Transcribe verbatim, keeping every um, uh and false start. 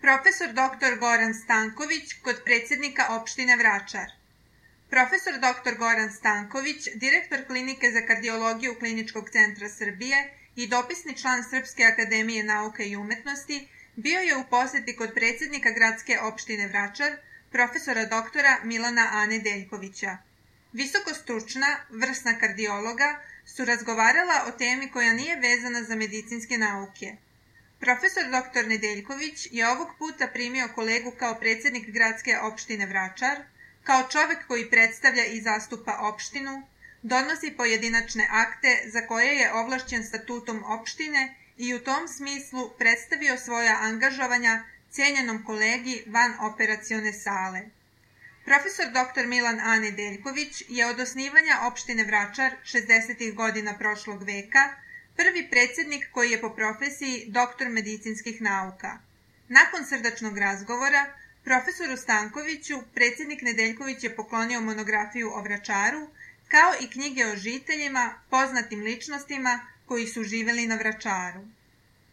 Profesor doktor Goran Stanković kod predsjednika opštine Vračar. Profesor doktor Goran Stanković, direktor Klinike za kardiologiju Kliničkog centra Srbije i dopisni član Srpske akademije nauka i umetnosti, bio je u poseti kod predsjednika gradske opštine Vračar, profesora doktora Milana Ane Deljkovića. Visokostručna, vrsna kardiologa su razgovarala o temi koja nije vezana za medicinske nauke. Profesor doktor Nedeljković je ovog puta primio kolegu kao predsjednik gradske opštine Vračar, kao čovek koji predstavlja i zastupa opštinu, donosi pojedinačne akte za koje je ovlašćen statutom opštine i u tom smislu predstavio svoja angažovanja cijenjenom kolegi van operacione sale. Profesor doktor Milan A. Nedeljković je od osnivanja opštine Vračar šezdesetih godina prošlog veka prvi predsjednik koji je po profesiji doktor medicinskih nauka. Nakon srdačnog razgovora, profesoru Stankoviću predsjednik Nedeljković je poklonio monografiju o Vračaru, kao i knjige o žiteljima, poznatim ličnostima koji su živeli na Vračaru.